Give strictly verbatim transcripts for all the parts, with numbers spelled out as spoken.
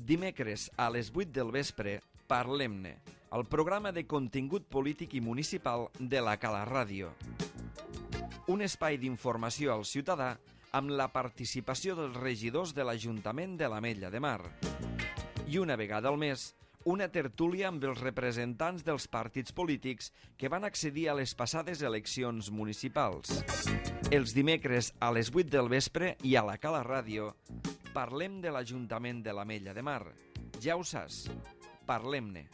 Dimecres a les vuit del vespre, Parlem-ne, el programa de contingut polític i municipal de la Cala Ràdio. Un espai d'informació al ciutadà amb la participació dels regidors de l'Ajuntament de l'Ametlla de Mar. I una vegada al mes, una tertúlia amb els representants dels partits polítics que van accedir a les passades eleccions municipals. Els dimecres a les vuit del vespre i a la Cala Ràdio parlem de l'Ajuntament de l'Ametlla de Mar. Ja ho saps, parlem-ne.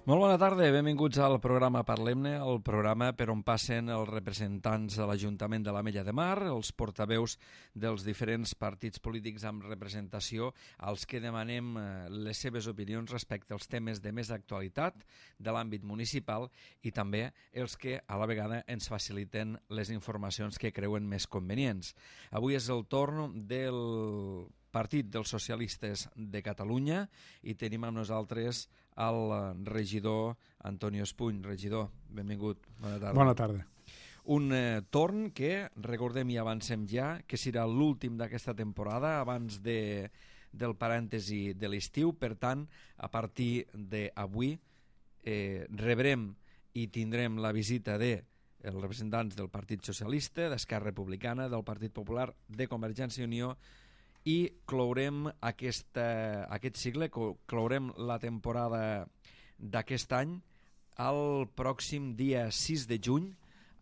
Molt bona tarda, benvinguts al programa Parlem-ne, el programa per on passen els representants de l'Ajuntament de l'Ametlla de Mar, els portaveus dels diferents partits polítics amb representació, als que demanem les seves opinions respecte als temes de més actualitat de l'àmbit municipal i també els que a la vegada ens faciliten les informacions que creuen més convenients. Avui és el torn del Partit dels Socialistes de Catalunya i tenim amb nosaltres el regidor Antonio Espuny. Regidor, benvingut. Bona tarda. Bona tarda. Un eh, torn que, recordem i avancem ja, que serà l'últim d'aquesta temporada abans de, del parèntesi de l'estiu. Per tant, a partir d'avui eh, rebrem i tindrem la visita de els representants del Partit Socialista, d'Esquerra Republicana, del Partit Popular, de Convergència i Unió, i clourem aquesta, aquest cicle, clourem la temporada d'aquest any el pròxim dia sis de juny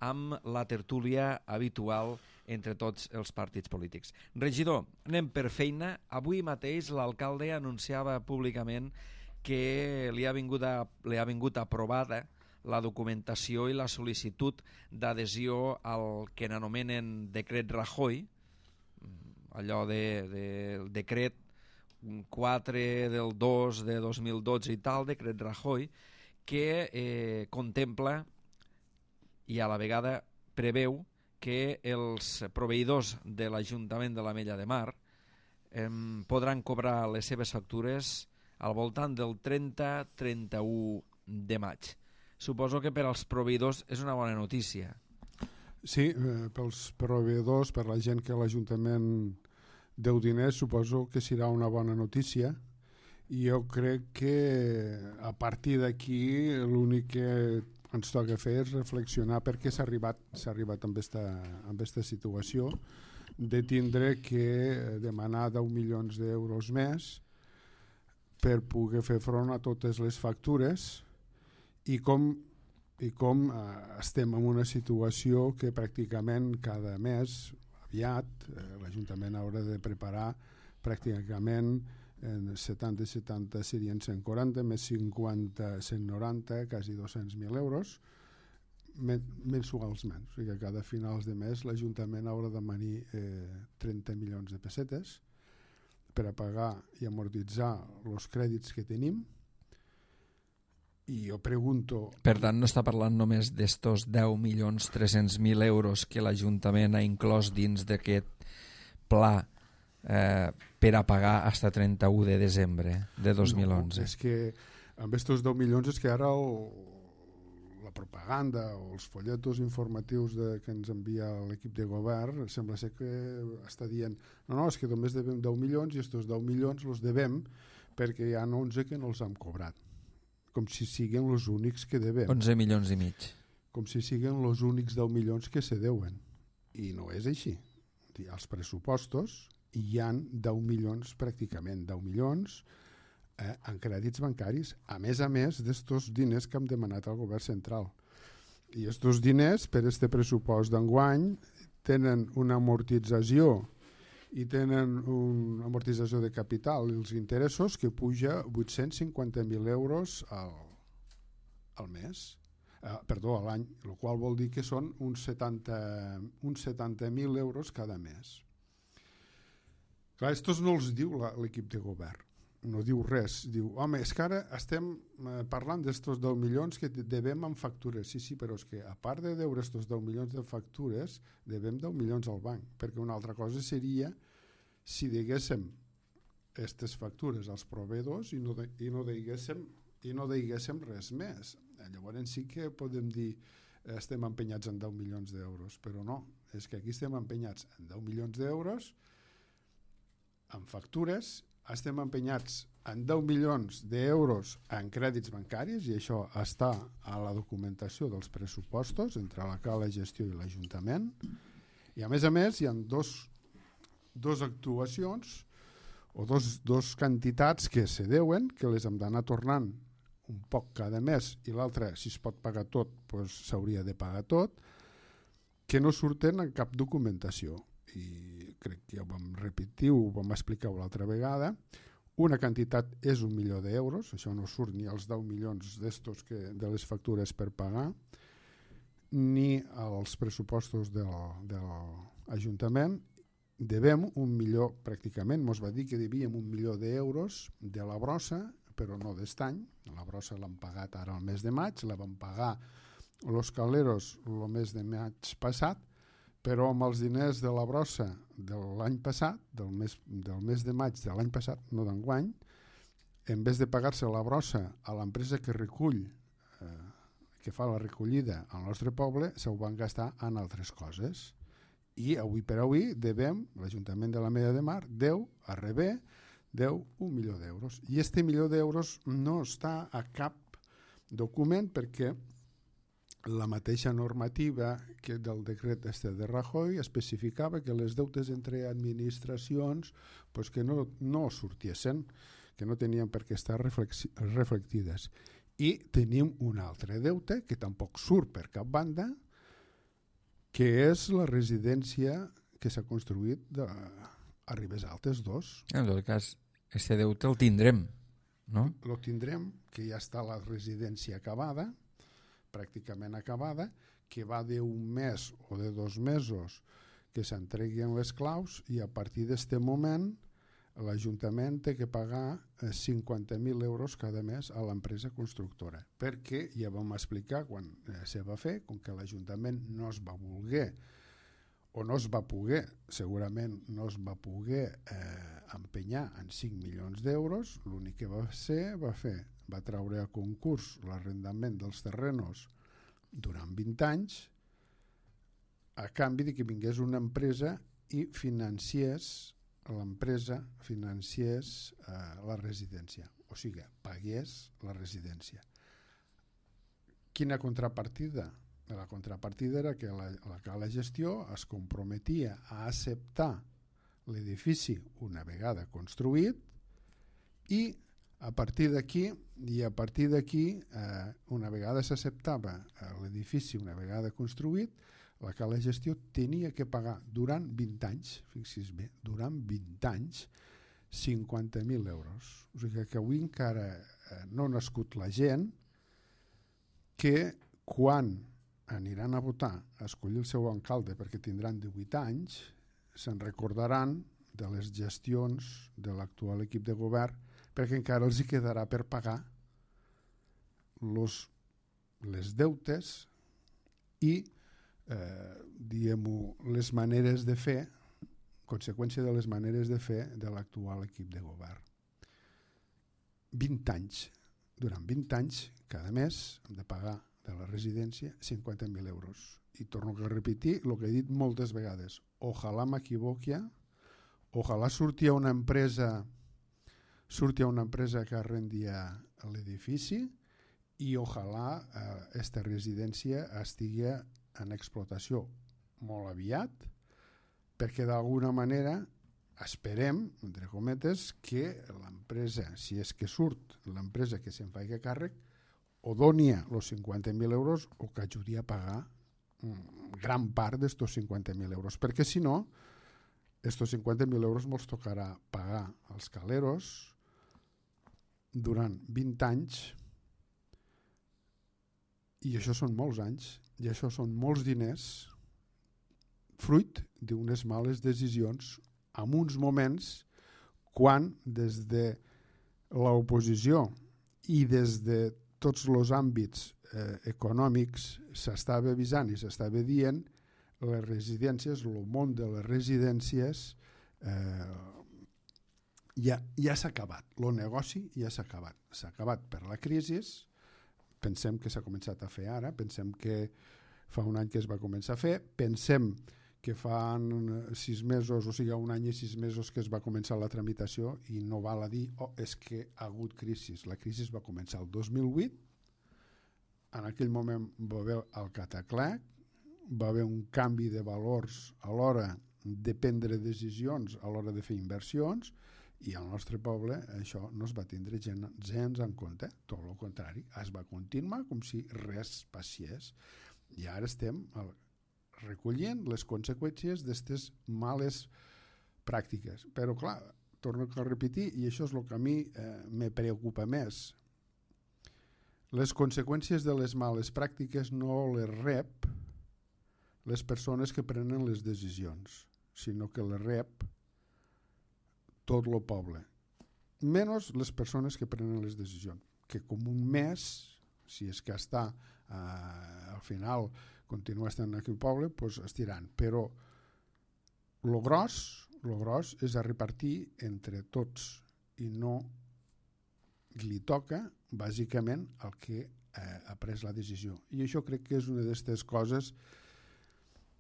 amb la tertúlia habitual entre tots els partits polítics. Regidor, anem per feina. Avui mateix l'alcalde anunciava públicament que li ha vingut, a, li ha vingut aprovada la documentació i la sol·licitud d'adhesió al que n'anomenen decret Rajoy, allò del de, de decret quatre del dos de dos mil dotze i tal, decret Rajoy, que eh, contempla i a la vegada preveu que els proveïdors de l'Ajuntament de l'Ametlla de Mar eh, podran cobrar les seves factures al voltant del trenta a trenta-u de maig. Suposo que per als proveïdors és una bona notícia. Sí, eh, pels proveïdors, per la gent que l'Ajuntament deu diners, suposo que serà una bona notícia, i jo crec que a partir d'aquí l'únic que ens toca fer és reflexionar per què s'ha arribat, s'ha arribat amb esta, amb esta situació de tindre que demanar deu milions d'euros més per poder fer front a totes les factures i com i com eh, estem en una situació que pràcticament cada mes aviat eh, l'Ajuntament haurà de preparar pràcticament en setanta setanta serien cent quaranta més cinquanta, cent noranta, quasi dos-cents mil euros men mensualment, o sigui que cada finals de mes l'Ajuntament haurà de manir eh, trenta milions de pessetes per a pagar i amortitzar els crèdits que tenim. I jo pregunto... Per tant, no està parlant només d'estos deu milions tres-cents mil euros que l'Ajuntament ha inclòs dins d'aquest pla eh, per a pagar fins a trenta-u de desembre de dos mil onze. No, és que amb estos deu milions és que ara el, la propaganda o els folletos informatius de, que ens envia l'equip de govern sembla ser que està dient no, no, és que només devem deu milions i estos deu milions els devem perquè hi ha onze que no els hem cobrat. Com si siguin els únics que devem. onze milions i mig. Com si siguin els únics deu milions que se deuen. I no és així. Als pressupostos hi han deu milions, pràcticament deu milions, eh, en crèdits bancaris, a més a més d'estos diners que hem demanat al govern central. I estos diners, per este pressupost d'enguany, tenen una amortització i tenen una amortització de capital i els interessos que puja vuit-cents cinquanta mil euros al, al mes, eh, perdó, a l'any, el qual vol dir que són uns setanta mil euros cada mes. Clar, estos no els diu l'equip de govern, no diu res, diu, home, és que ara estem parlant d'estos deu milions que devem en factures, sí, sí, però és que a part de deure estos deu milions de factures, devem deu milions al banc, perquè una altra cosa seria si deguéssim aquestes factures als proveïdors i no, de, i no deguéssim i no deguéssim res més. Llavors sí que podem dir estem empenyats en deu milions d'euros, però no, és que aquí estem empenyats en deu milions d'euros en factures, estem empenyats en deu milions d'euros en crèdits bancaris, i això està a la documentació dels pressupostos entre la Cala de Gestió i l'Ajuntament, i a més a més hi ha dos, dos actuacions o dos, dos quantitats que se deuen, que les hem d'anar tornant un poc cada mes, i l'altre, si es pot pagar tot, doncs s'hauria de pagar tot, que no surten en cap documentació. I crec que ja ho vam repetir, ho vam explicar l'altra vegada. Una quantitat és un milió d'euros, això no surt ni als deu milions d'estos que, de les factures per pagar, ni als pressupostos del, de l'Ajuntament. Devem un milió, pràcticament, mos va dir que devíem un milió d'euros de la brossa, però no d'est any. La brossa l'hem pagat ara al mes de maig, la vam pagar los caleros el mes de maig passat, però amb els diners de la brossa de l'any passat, del mes, del mes de maig de l'any passat, no d'enguany, en vez de pagar-se la brossa a l'empresa que recull, eh, que fa la recollida al nostre poble, s'ho van gastar en altres coses. I avui per avui devem, l'Ajuntament de l'Ametlla de Mar deu a Rebé, deu un milió d'euros. I este milió d'euros no està a cap document perquè la mateixa normativa que del decret este de Rajoy especificava que les deutes entre administracions pues que no, no sortiessin, que no tenien per què estar reflectides. I tenim un altre deute que tampoc surt per cap banda, que és la residència que s'ha construït de, a Ribes Altes dos. En tot cas, aquest deute el tindrem, no? El tindrem, que ja està la residència acabada, pràcticament acabada, que va d'un mes o de dos mesos que s'entreguin les claus, i a partir d'aquest moment l'Ajuntament té que pagar cinquanta mil euros cada mes a l'empresa constructora, perquè ja vam explicar quan se va fer, com que l'Ajuntament no es va voler o no es va poder, segurament no es va poder eh, empenyar en cinc milions d'euros, l'únic que va ser, va fer, va treure a concurs l'arrendament dels terrenos durant vint anys, a canvi de que vingués una empresa i financiés, l'empresa financiés eh, la residència, o sigui, pagués la residència. Quina contrapartida? La contrapartida era que la, la Cala de Gestió es comprometia a acceptar l'edifici una vegada construït, i a partir d'aquí, i a partir d'aquí, eh, una vegada s'acceptava l'edifici una vegada construït, la Cala de Gestió tenia que pagar durant vint anys, fixi's bé, durant vint anys, cinquanta mil euros. O sigui que avui encara eh, no ha nascut la gent que quan aniran a votar a escollir el seu alcalde, perquè tindran divuit anys, se'n recordaran de les gestions de l'actual equip de govern, perquè encara els hi quedarà per pagar los, les deutes i eh, diguem-ho, les maneres de fer, conseqüència de les maneres de fer de l'actual equip de govern. vint anys. Durant vint anys, cada mes, hem de pagar de la residència cinquanta mil euros. I torno a repetir el que he dit moltes vegades. Ojalà m'equivoqui, ojalà surti una empresa surti una empresa que arrendia l'edifici, i ojalà aquesta eh, residència estigui en explotació molt aviat, perquè d'alguna manera esperem, entre cometes, que l'empresa, si és que surt l'empresa que se'n faci càrrec, o doni els cinquanta mil euros o que ajudi a pagar gran part d'estos cinquanta mil euros, perquè si no, estos cinquanta mil euros mos tocarà pagar als caleros durant vint anys, i això són molts anys, i això són molts diners, fruit d'unes males decisions en uns moments quan des de l'oposició i des de tots els àmbits eh, econòmics s'estava avisant i s'estava dient les residències, el món de les residències eh, ja, ja s'ha acabat, el negoci ja s'ha acabat. S'ha acabat per la crisi, pensem que s'ha començat a fer ara, pensem que fa un any que es va començar a fer. Pensem que fa sis mesos, o sigui, un any i sis mesos que es va començar la tramitació i no val a dir, oh, és que ha hagut crisi. La crisi va començar el dos mil vuit, en aquell moment va haver el cataclèc, va haver un canvi de valors a l'hora de prendre decisions, a l'hora de fer inversions, i al nostre poble això no es va tindre gens en compte, tot el contrari, es va continuar com si res passés. I ara estem recollint les conseqüències d'aquestes males pràctiques. Però clar, torno a repetir, i això és el que a mi eh, me preocupa més. Les conseqüències de les males pràctiques no les rep les persones que prenen les decisions, sinó que les rep tot el poble. Menys les persones que prenen les decisions, que com un mes, si és que està eh, al final continua estant aquí el poble, doncs estiran. Però el gros, lo gros és a repartir entre tots i no li toca bàsicament el que eh, ha pres la decisió. I això crec que és una d'aquestes coses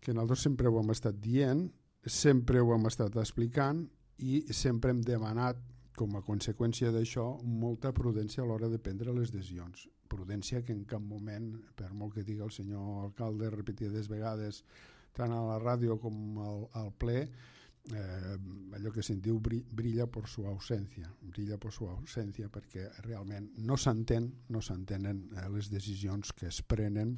que nosaltres sempre ho hem estat dient, sempre ho hem estat explicant i sempre hem demanat com a conseqüència d'això molta prudència a l'hora de prendre les decisions. Prudència que en cap moment, per molt que digui el senyor alcalde repetides vegades, tant a la ràdio com al, al ple, eh, allò que se'n diu brilla per su ausència, brilla per su ausència perquè realment no s'entén, no s'entenen eh, les decisions que es prenen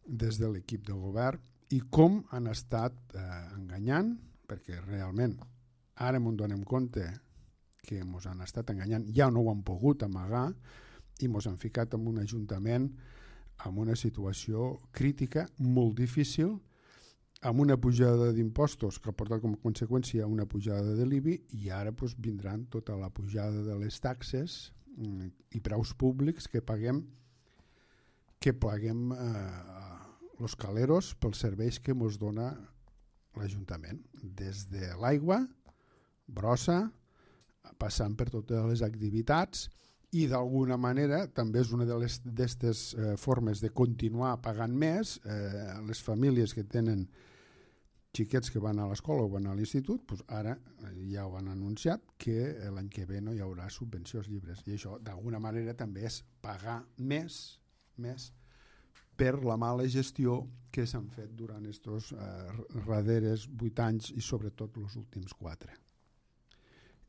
des de l'equip de govern i com han estat eh, enganyant, perquè realment ara m'ho donem compte que ens han estat enganyant, ja no ho han pogut amagar i ens han ficat en un ajuntament en una situació crítica molt difícil, amb una pujada d'impostos que ha portat com a conseqüència una pujada de l'I B I i ara doncs, vindran tota la pujada de les taxes i preus públics que paguem que paguem eh, els caleros pels serveis que ens dona l'Ajuntament, des de l'aigua, brossa, passant per totes les activitats i d'alguna manera també és una de les d'aquestes eh, formes de continuar pagant més. Eh, les famílies que tenen xiquets que van a l'escola o van a l'institut, doncs ara ja ho han anunciat que l'any que ve no hi haurà subvenció als llibres i això d'alguna manera també és pagar més, més per la mala gestió que s'han fet durant aquests eh, darrers vuit anys i sobretot els últims quatre.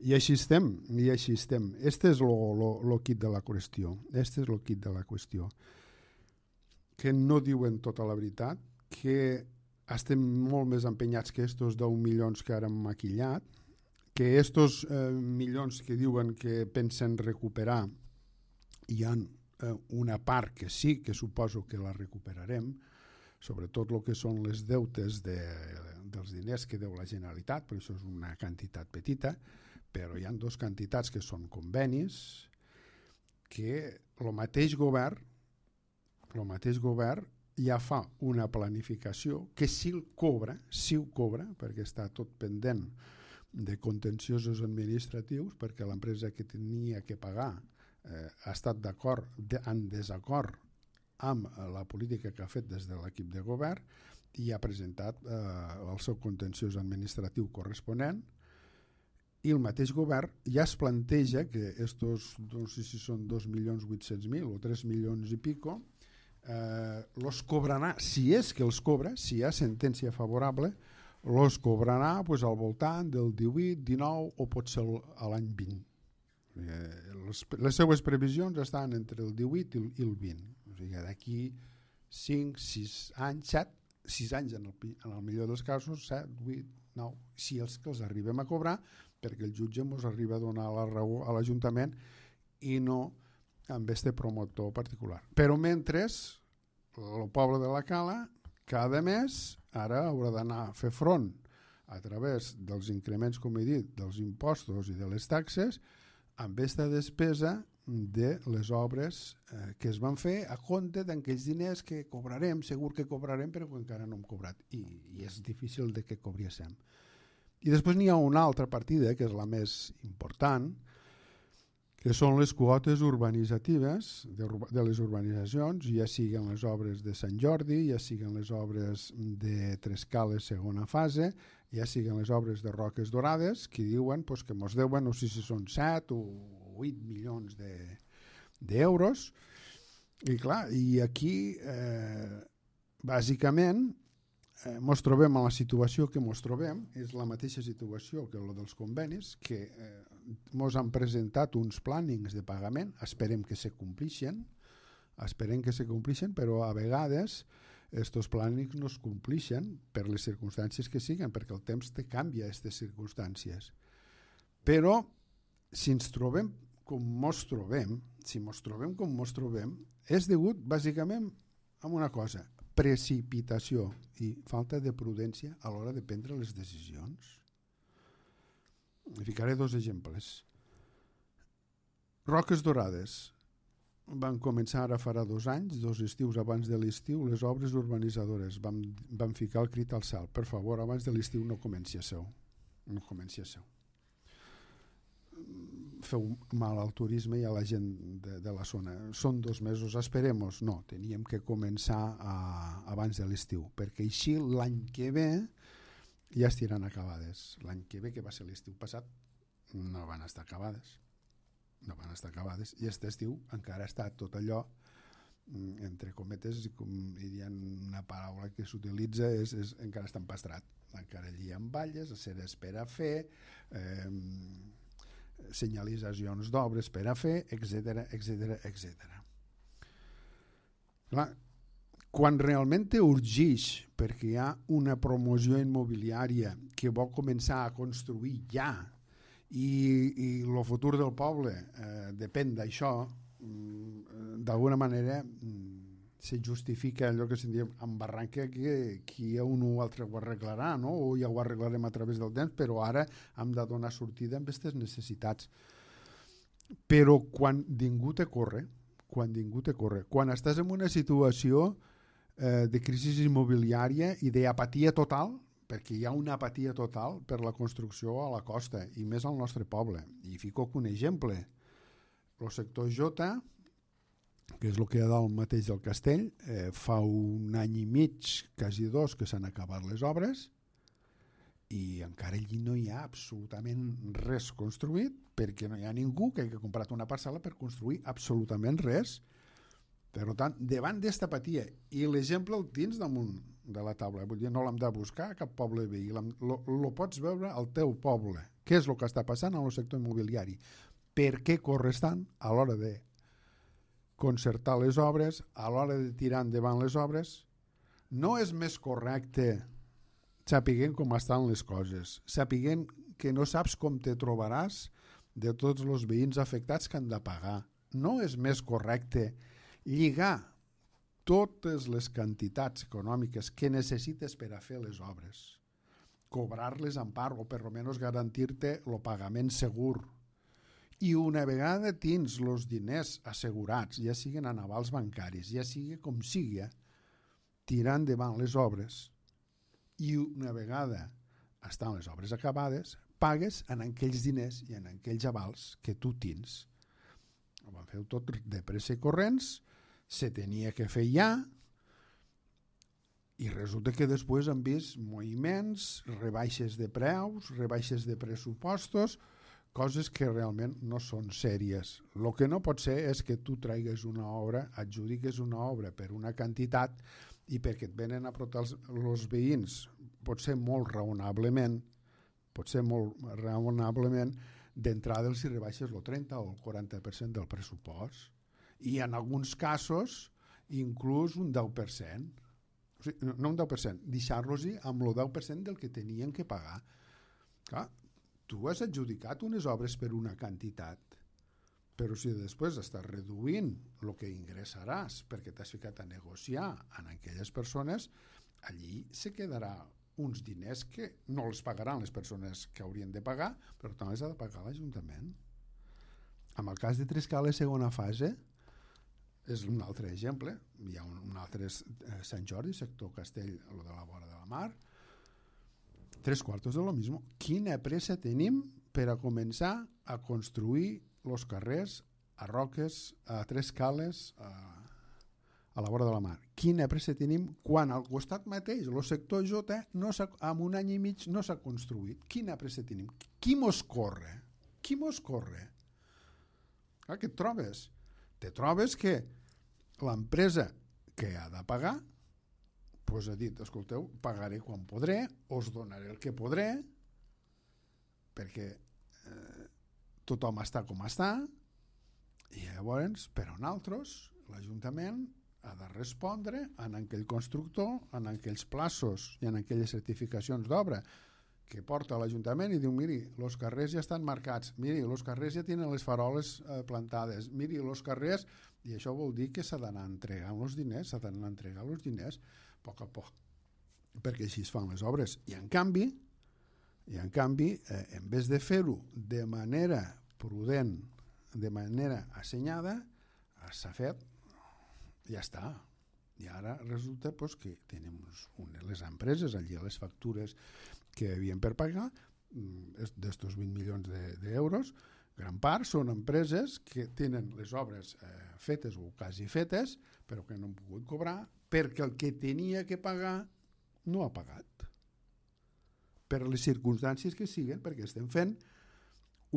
I així estem, i així estem. Este és el kit de la qüestió. Este és el kit de la qüestió. Que no diuen tota la veritat, que estem molt més empenyats que estos deu milions que ara hem maquillat, que estos eh, milions que diuen que pensen recuperar hi ha eh, una part que sí que suposo que la recuperarem, sobretot el que són les deutes de, dels diners que deu la Generalitat, però això és una quantitat petita, però hi ha dues quantitats que són convenis que el mateix govern el mateix govern ja fa una planificació que si el cobra, si ho cobra, perquè està tot pendent de contenciosos administratius, perquè l'empresa que tenia que pagar eh, ha estat d'acord, de, en desacord amb la política que ha fet des de l'equip de govern i ha presentat eh, el seu contenciós administratiu corresponent. I el mateix govern ja es planteja que estos, no sé si són dos milions vuit-cents mil o tres milions i pico, eh, los cobrarà, si és que els cobra, si hi ha sentència favorable, los cobrarà pues, al voltant del divuit, dinou o pot ser a l'any vint. Eh, les, les seues previsions estan entre el divuit i el, i el vint. O sigui, d'aquí cinc, sis anys, set, sis anys en el, en el millor dels casos, set, vuit, nou, si els que els arribem a cobrar, perquè el jutge ens arriba a donar la raó a l'Ajuntament i no amb este promotor particular. Però mentre el poble de la Cala cada mes ara haurà d'anar a fer front a través dels increments, com he dit, dels impostos i de les taxes amb aquesta despesa de les obres eh, que es van fer a compte d'aquells diners que cobrarem, segur que cobrarem, però que encara no hem cobrat i, i és difícil de que cobriéssim. I després n'hi ha una altra partida, que és la més important, que són les quotes urbanitzatives de, de les urbanitzacions, ja siguen les obres de Sant Jordi, ja siguen les obres de Trescales segona fase, ja siguen les obres de Roques Dorades, que diuen pues, que ens deuen, no sé si són set o vuit milions d'euros. De, I clar, i aquí, eh, bàsicament, eh, mos trobem en la situació que mos trobem, és la mateixa situació que la dels convenis, que eh, mos han presentat uns plànings de pagament, esperem que se complixen, esperem que se complixen, però a vegades estos plànings no es complixen per les circumstàncies que siguen, perquè el temps te canvia aquestes circumstàncies. Però si ens trobem com mos trobem, si mos trobem com mos trobem, és degut bàsicament a una cosa, precipitació i falta de prudència a l'hora de prendre les decisions. Ficaré dos exemples. Roques Dorades. Van començar ara farà dos anys, dos estius abans de l'estiu, les obres urbanitzadores. Vam, vam ficar el crit al cel. Per favor, abans de l'estiu no comenci a seu. No comenci a seu. Feu mal al turisme i a la gent de, de la zona. Són dos mesos, esperemos. No, teníem que començar a, abans de l'estiu, perquè així l'any que ve ja estiran acabades. L'any que ve, que va ser l'estiu passat, no van estar acabades. No van estar acabades. I aquest estiu encara està tot allò, entre cometes, com dirien una paraula que s'utilitza, és, és encara està empastrat. Encara allí amb valles, a ser espera a fer, eh, senyalitzacions d'obres per a fer, etcètera, etcètera, etcètera. Clar, quan realment te urgeix perquè hi ha una promoció immobiliària que vol començar a construir ja i, i el futur del poble eh, depèn d'això, d'alguna manera se justifica allò que se'n diu en barranca, que, que un o altre ho arreglarà, no? O ja ho arreglarem a través del temps, però ara hem de donar sortida amb aquestes necessitats. Però quan ningú te corre, quan ningú te corre, quan estàs en una situació eh, de crisi immobiliària i d'apatia total, perquè hi ha una apatia total per la construcció a la costa, i més al nostre poble. I fico un exemple. El sector Jota, que és el que hi ha dalt mateix del castell, eh, fa un any i mig, quasi dos, que s'han acabat les obres, i encara allí no hi ha absolutament res construït, perquè no hi ha ningú que hagi comprat una parcel·la per construir absolutament res. Per tant, davant d'esta apatia, i l'exemple el tens damunt de la taula, vull dir, no l'hem de buscar a cap poble veí, el pots veure al teu poble. Què és el que està passant en el sector immobiliari? Per què corres tant a l'hora de concertar les obres, a l'hora de tirar endavant les obres? No és més correcte sapiguent com estan les coses, sapiguent que no saps com te trobaràs de tots els veïns afectats que han de pagar. No és més correcte lligar totes les quantitats econòmiques que necessites per a fer les obres, cobrar-les en part o per almenys garantir-te el pagament segur, i una vegada tens els diners assegurats, ja siguin en avals bancaris, ja sigui com sigui, tirar endavant les obres, i una vegada estan les obres acabades, pagues en aquells diners i en aquells avals que tu tens. Ho van fer tot de pressa i corrents, se tenia que fer ja, i resulta que després han vist moviments, rebaixes de preus, rebaixes de pressupostos, coses que realment no són sèries. El que no pot ser és que tu traigues una obra, adjudiques una obra per una quantitat i perquè et venen a portar els, els veïns, pot ser molt raonablement, pot ser molt raonablement, d'entrada els hi rebaixes el trenta o el quaranta per cent del pressupost. I en alguns casos inclús un deu per cent. O sigui, no un deu per cent, deixar-los-hi amb el deu per cent del que tenien que pagar. Clar, tu has adjudicat unes obres per una quantitat, però si després estàs reduint el que ingressaràs perquè t'has ficat a negociar amb aquelles persones, allí se quedarà uns diners que no els pagaran les persones que haurien de pagar, però també els ha de pagar l'Ajuntament. En el cas de Trescales segona fase, és un altre exemple, hi ha un, un altre eh, Sant Jordi, sector Castell, el de la vora de la mar, tres quartos de lo mismo. Quina pressa tenim per a començar a construir els carrers, a Roques, a Tres Cales, a, a la vora de la mar. Quina pressa tenim quan al costat mateix el sector J no en un any i mig no s'ha construït? Quina pressa tenim? Qui mos corre? Qui mos corre? Ah, què et trobes? Te trobes que l'empresa que ha de pagar pues ha dit, escolteu, pagaré quan podré, us donaré el que podré, perquè eh, tothom està com està, i llavors, però nosaltres, l'Ajuntament ha de respondre en aquell constructor, en aquells plaços i en aquelles certificacions d'obra que porta l'Ajuntament i diu, miri, els carrers ja estan marcats, miri, els carrers ja tenen les faroles eh, plantades, miri, els carrers... I això vol dir que s'ha d'anar entregant els diners, s'ha d'anar entregant els diners a poc a poc, perquè així es fan les obres. I en canvi, i en canvi, eh, en vez de fer-ho de manera prudent, de manera assenyada, s'ha fet, ja està. I ara resulta pues, que tenim unes, les empreses allí a les factures que havien per pagar d'estos vint milions d'euros, de, gran part són empreses que tenen les obres eh, fetes o quasi fetes, però que no han pogut cobrar perquè el que tenia que pagar no ha pagat. Per les circumstàncies que siguen, perquè estem fent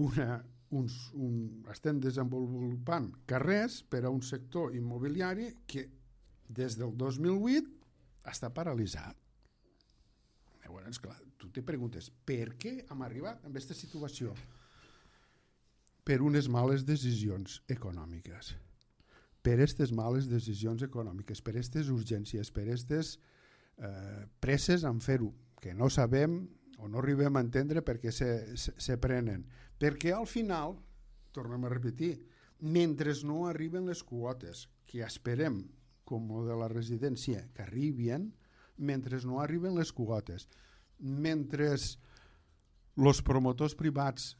una, uns, un, estem desenvolupant carrers per a un sector immobiliari que des del dos mil vuit està paralitzat. Llavors, clar, tu te preguntes, per què hem arribat a aquesta situació? Per unes males decisions econòmiques. Per aquestes males decisions econòmiques, per aquestes urgències, per aquestes eh, presses en fer-ho, que no sabem o no arribem a entendre perquè se, se, se prenen. Perquè al final, tornem a repetir, mentre no arriben les quotes que esperem, com de la residència, que arribin, mentre no arriben les quotes, mentre els promotors privats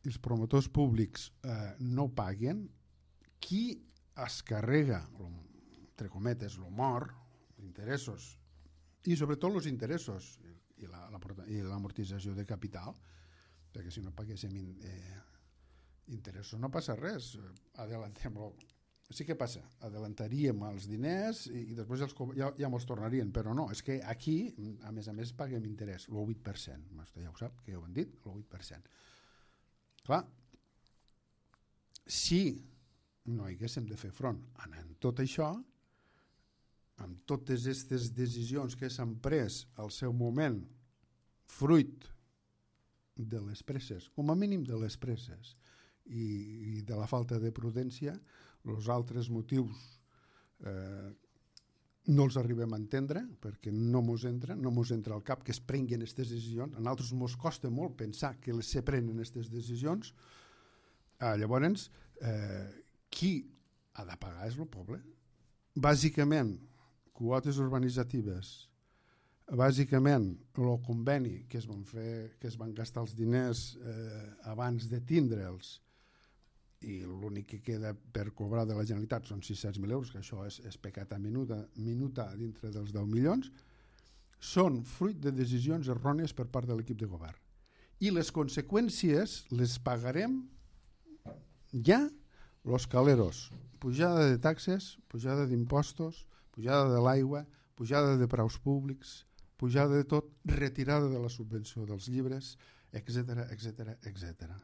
i els promotors públics eh, no paguen, qui es carrega, entre cometes, el mort, interessos, i sobretot els interessos i la, la, i l'amortització de capital, perquè si no paguéssim eh, interessos no passa res, adellantem-lo. Sí que passa, adelantaríem els diners i, i després els, ja, ja mos tornarien, però no, és que aquí, a més a més, paguem interès, el vuit per cent, ja ho sap, que ja ho han dit, el vuit per cent. Clar, si no haguéssim de fer front en tot això, amb totes aquestes decisions que s'han pres al seu moment, fruit de les presses, com a mínim de les presses, i, i de la falta de prudència, els altres motius eh, no els arribem a entendre, perquè no mos entra, no mos entra al cap que es prenguin aquestes decisions. A nosaltres mos costa molt pensar que se prenen aquestes decisions. Ah, llavors, eh, qui ha de pagar és el poble. Bàsicament, quotes urbanitzatives, bàsicament, el conveni que es van fer, que es van gastar els diners eh, abans de tindre'ls, i l'únic que queda per cobrar de la Generalitat són sis-cents mil euros, que això és, és pecat a minuta, minuta dintre dels deu milions, són fruit de decisions errònies per part de l'equip de govern. I les conseqüències les pagarem ja los caleros. Pujada de taxes, pujada d'impostos, pujada de l'aigua, pujada de preus públics, pujada de tot, retirada de la subvenció dels llibres, etcètera, etcètera, etcètera.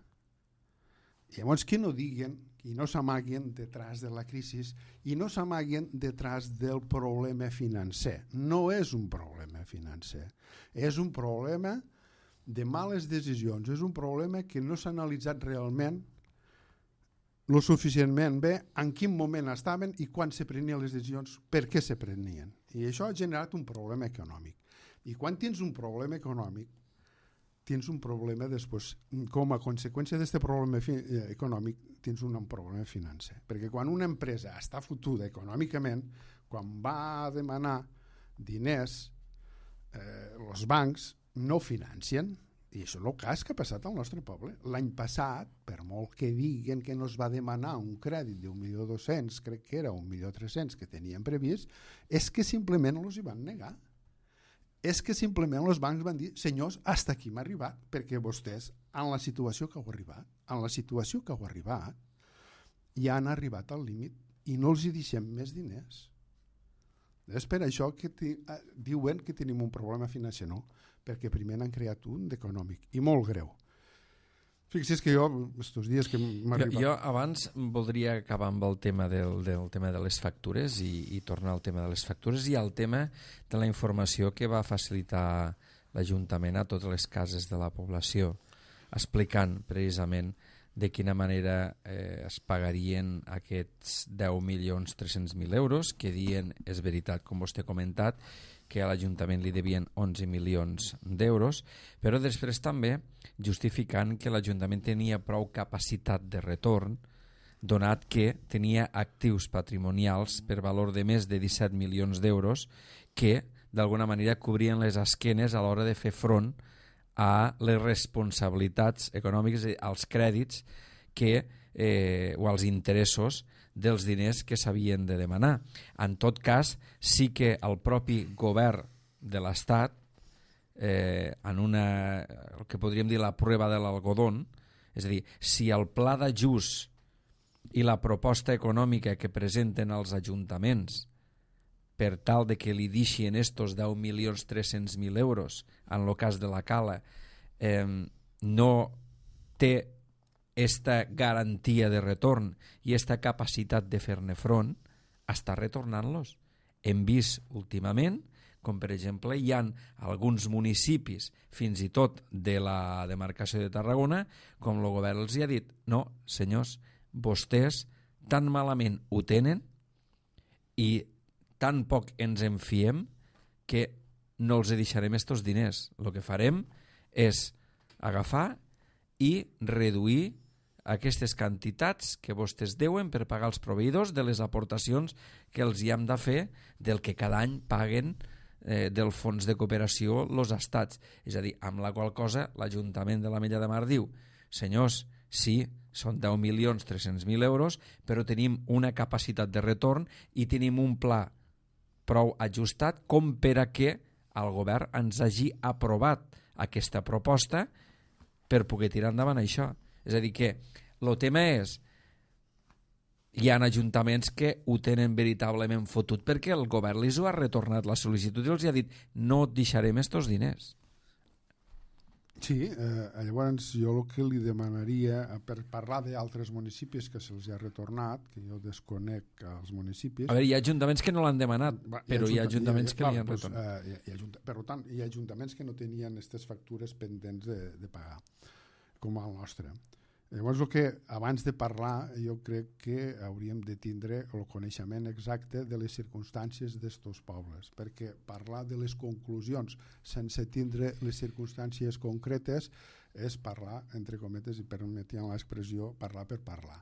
Llavors, que no diguen i no s'amaguen detrás de la crisi i no s'amaguen detrás del problema financer. No és un problema financer, és un problema de males decisions, és un problema que no s'ha analitzat realment lo suficientment bé en quin moment estaven i quan se prenien les decisions, per què se prenien. I això ha generat un problema econòmic. I quan tens un problema econòmic, tens un problema després, com a conseqüència d'aquest problema econòmic, tens un problema financer. Perquè quan una empresa està fotuda econòmicament, quan va a demanar diners, eh, els bancs no financien, i això és el cas que ha passat al nostre poble. L'any passat, per molt que diguen que no es va demanar un crèdit d'un milió dos-cents, crec que era un milió tres-cents que tenien previst, és que simplement els hi van negar. És que simplement els bancs van dir, senyors, hasta aquí m'ha arribat, perquè vostès en la situació que heu arribat, en la situació que heu arribat, ja han arribat al límit i no els hi deixem més diners. És per això que ti, eh, diuen que tenim un problema financer, no? Perquè primer n'han creat un d'econòmic i molt greu. Fixi's que jo, estos dies que m'ha arribat... Jo, jo abans voldria acabar amb el tema del, del tema de les factures i, i tornar al tema de les factures i al tema de la informació que va facilitar l'Ajuntament a totes les cases de la població, explicant precisament de quina manera eh, es pagarien aquests deu milions tres-cents mil euros, que dient, és veritat, com vostè ha comentat, que a l'Ajuntament li devien onze milions d'euros, però després també justificant que l'Ajuntament tenia prou capacitat de retorn, donat que tenia actius patrimonials per valor de més de disset milions d'euros que d'alguna manera cobrien les esquenes a l'hora de fer front a les responsabilitats econòmiques, als crèdits que, eh, o als interessos dels diners que s'havien de demanar. En tot cas, sí que el propi govern de l'Estat, eh, en una, el que podríem dir la prova de l'algodón, és a dir, si el pla d'ajust i la proposta econòmica que presenten els ajuntaments per tal de que li deixin estos deu milions tres-cents mil euros en el cas de la Cala, eh, no té esta garantia de retorn i esta capacitat de fer-ne front, està retornant-los. Hem vist últimament, com per exemple hi ha alguns municipis, fins i tot de la demarcació de Tarragona, com el govern els ha dit, no, senyors, vostès tan malament ho tenen i tan poc ens en fiem que no els deixarem estos diners. El que farem és agafar i reduir aquestes quantitats que vostès deuen per pagar els proveïdors de les aportacions que els hi hem de fer del que cada any paguen eh, del fons de cooperació els estats. És a dir, amb la qual cosa l'Ajuntament de l'Ametlla de Mar diu, senyors, sí, són deu milions tres-cents mil euros, però tenim una capacitat de retorn i tenim un pla prou ajustat com per a que el govern ens hagi aprovat aquesta proposta per poder tirar endavant això. És a dir que el tema és, hi ha ajuntaments que ho tenen veritablement fotut perquè el govern li ho ha retornat la sol·licitud i els ha dit no et deixarem estos diners. Sí, eh, llavors jo el que li demanaria, per parlar d'altres municipis que se'ls ha retornat, que jo desconec els municipis... A veure, hi ha ajuntaments que no l'han demanat, va, però hi ha ajuntaments hi ha, que clar, li han doncs, retornat. Eh, hi ha, hi ha ajunta, per tant, hi ha ajuntaments que no tenien aquestes factures pendents de, de pagar, com el nostre. Llavors, el que, abans de parlar, jo crec que hauríem de tindre el coneixement exacte de les circumstàncies d'estos pobles, perquè parlar de les conclusions sense tindre les circumstàncies concretes és parlar, entre cometes, i permetien l'expressió, parlar per parlar.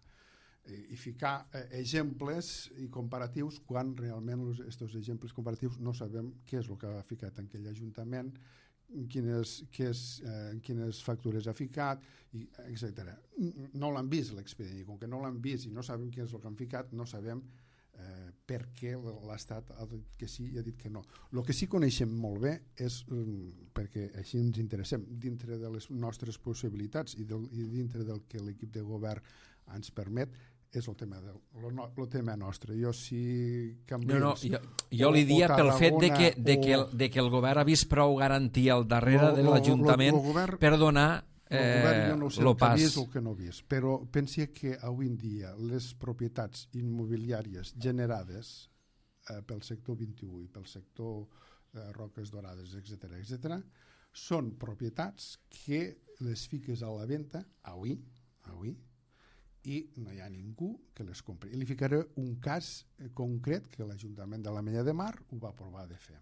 I ficar exemples i comparatius quan realment aquests exemples comparatius no sabem què és el que ha ficat en aquell ajuntament, quines, quines, eh, quines factures ha ficat, i etcètera. No l'han vist l'expedient, i com que no l'han vist i no sabem què és el que han ficat, no sabem eh, per què l'Estat ha dit que sí i ha dit que no. El que sí coneixem molt bé és, um, perquè així ens interessem, dintre de les nostres possibilitats i, del, i dintre del que l'equip de govern ens permet, és el tema, del, el, el tema nostre. Jo si canvies... No, no, jo, jo li dia pel fet de que, de, que el, de que el govern ha vist prou garantia al darrere lo, de l'Ajuntament per donar eh, el govern jo no sé lo el pas. que ha vist o el que no ha vist, però pensi que avui en dia les propietats immobiliàries generades eh, pel sector vint-i-u i pel sector eh, Roques Dorades, etcètera, etcètera, són propietats que les fiques a la venda avui, avui, i no hi ha ningú que les compri. I li ficaré un cas concret que l'Ajuntament de l'Ametlla de Mar ho va provar de fer.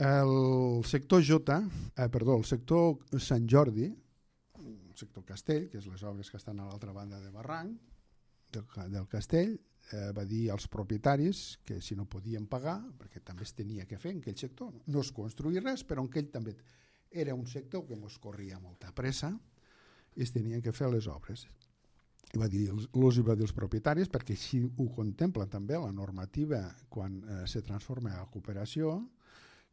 El sector J, eh, perdó, el sector Sant Jordi, el sector Castell, que és les obres que estan a l'altra banda de barranc del, del Castell, eh, va dir als propietaris que si no podien pagar, perquè també es tenia que fer en aquell sector, no es construir res, però en aquell també era un sector que ens corria molta pressa, i es tenien que fer les obres. I va dir, els hi va dir als propietaris, perquè així ho contempla també la normativa quan eh, se transforma a cooperació,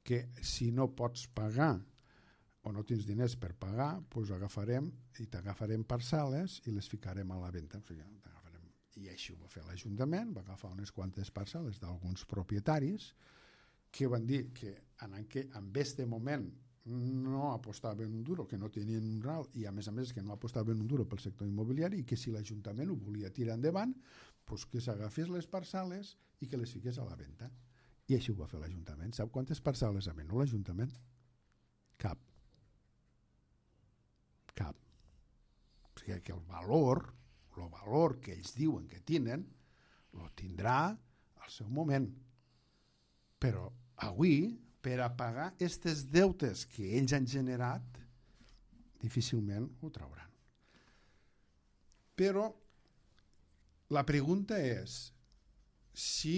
que si no pots pagar o no tens diners per pagar, doncs agafarem i t'agafarem parcel·les i les ficarem a la venda. O sigui, t'agafarem. I així ho va fer l'Ajuntament, va agafar unes quantes parcel·les d'alguns propietaris que van dir que en aquest moment no apostaven un duro, que no tenien un ral, i a més a més que no apostaven un duro pel sector immobiliari, i que si l'Ajuntament ho volia tirar endavant, doncs que s'agafés les parcel·les i que les fiqués a la venda. I així ho va fer l'Ajuntament. Sap quantes parcel·les ha venut l'Ajuntament? Cap. Cap. O sigui que el valor, el valor que ells diuen que tenen, lo tindrà al seu moment. Però avui, per a pagar aquests deutes que ells han generat, difícilment ho trauran. Però la pregunta és, si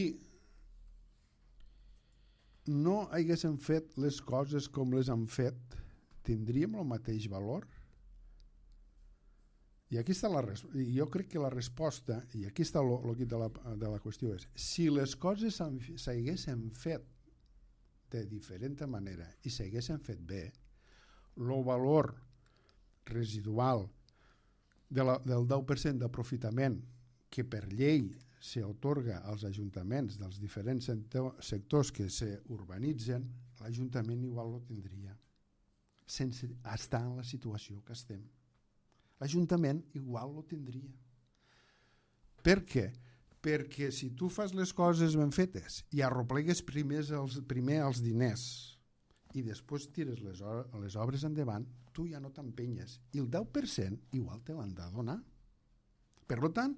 no haguéssim fet les coses com les han fet, tindríem el mateix valor? I aquí està la resposta. Jo crec que la resposta, i aquí està el quid de la, de la qüestió, és si les coses s'haguessin fet de diferent manera i s'haguessin fet bé, el valor residual de la, del deu per cent d'aprofitament que per llei s'atorga als ajuntaments dels diferents sectors que s'urbanitzen, l'Ajuntament igual ho tindria, sense estar en la situació que estem. L'Ajuntament igual ho tindria. Per què? Perquè si tu fas les coses ben fetes i arroplegues primer els, primer els diners i després tires les, les obres endavant, tu ja no t'empenyes. I el deu per cent igual te l'han de donar. Per tant,